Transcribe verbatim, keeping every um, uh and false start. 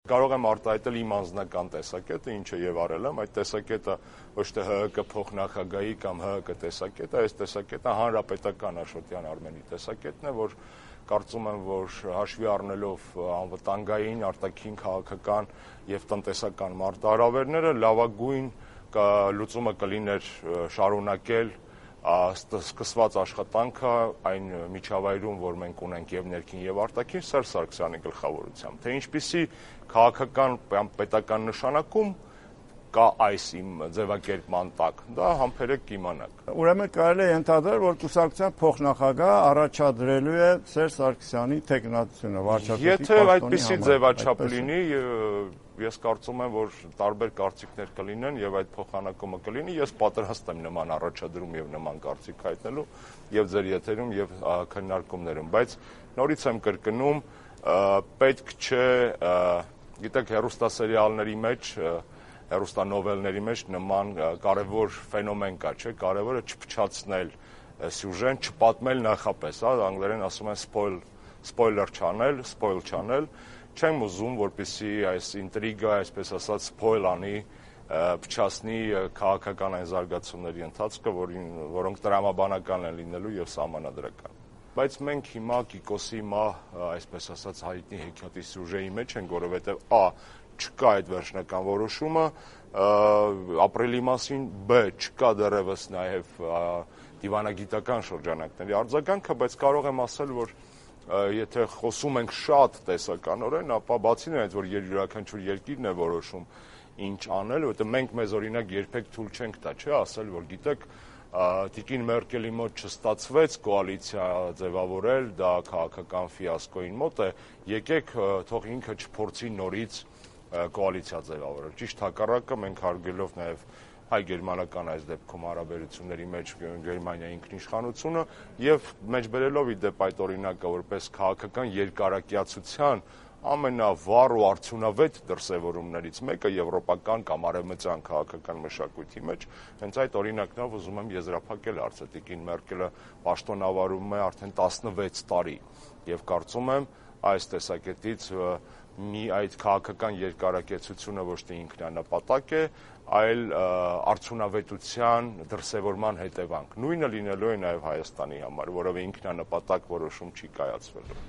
կարող եմ արտահայտել իմ անձնական տեսակետը, ինչը եւ արել եմ, այդ տեսակետը ոչ թե Հ Ը Կը փոխնախագահի կամ Հ Ը Կը տեսակետը, այս տեսակետը հանրապետական Աշոտյան Արմենի տեսակետն է, որ կարծում եմ, որ հաշվի առնելով անվտանգային, արտաքին քաղաքական եւ տնտեսական մարտահրավերները լավագույն լուծումը կլիներ շարունակել սկսված աշխատանքը այն միջավայրում, որ մենք ունենք եւ ներքին եւ արտաքին Սերժ Սարգսյանի գլխավորությամբ, թե ինչպիսի քաղաքական պետական նշանակում կա այս իմ ձևակերպման տակ, դա համբերեք կիմանաք։ Ուրեմն կարելի է ենթադրել, որ կուսակցության փոխնախագահը առաջադրելու է Սերժ Սարգսյանի թեկնածությունը վարչապետի պաշտոնի համար։ Եթե այդպիսի ձևաչափ լինի, ես կարծում եմ, որ տարբեր կարծիքներ կլինեն եւ այդ փոխանակումը կլինի, ես պատրաստ եմ նման առաջադրում եւ նման կարծիք հայտնելու եւ ձեր եթերում եւ քննարկումներում, բայց նորից եմ կրկնում, պետք չէ, գիտեք, հեռուստասերիալների մեջ, հեռուստանովելների մեջ նման կարևոր ֆենոմեն կա, չէ՞, կարևորը չփչացնել սյուժեն, չպատմել նախապես, հա, անգլերեն ասում են spoil, spoiler չանել, spoil չանել, չեմ ուզում, որպեսզի այս ինտրիգա, այսպես ասած, spoil անի, փչացնի քաղաքական այն զարգացումների ընթացքը, որոնք տրամաբանական են լինելու եւ սահմանադրական։ Բայց մենք հիմա Կիկոսի մահ, այսպես ասած, հայտնի հեքիաթի սյուժեի մեջ ենք, որովհետեւ ա չկա այդ վերջնական որոշումը, ապրիլի մասին, բ չկա դեռևս նաեւ դիվանագիտական շրջանակների արձագանքը, բայց կարող եմ ասել, որ եթե խոսում ենք շատ տեսականորեն, ապա բացի նրանից, որ յուրաքանչյուր երկիրն է որոշում ինչ անել, որովհետեւ մենք մեզ օրինակ երբեք թույլ չենք տա, չէ՞, ասել, որ գիտեք, Տիկին Մերկելի մոտ չստացվեց կոալիցիա ձևավորել, դա քաղաքական ֆիասկոին մոտ է, եկեք թող ինքը չփորձի նորից կոալիցիա ձևավորել։ Ճիշտ հակառակը, մենք հարգելով նաեւ հայ-գերմանական այս դեպքում հարաբերությունների մեջ Գերմանիայի ինքնիշխանությունը եւ մեջբերելով ի դեպ այդ օրինակը որպես քաղաքական երկարակյացության ամենավառ ու արդյունավետ դրսևորումներից մեկը եվրոպական կամ արևմտյան քաղաքական մշակույթի մեջ, հենց այդ օրինակներով ուզում եմ եզրափակել հարցը։ Տիկին Մերկելը պաշտոնավարում է արդեն տասնվեց տարի եւ կարծում եմ այս տեսակետից մի այդ քաղաքական երկարակեցությունը ոչ թե ինքնանպատակ է, այլ արդյունավետության դրսևորման հետևանք։ Նույնը լինելու է նաեւ Հայաստանի համար, որովհետեւ ինքնանպատակ որոշում չի կայացվելու։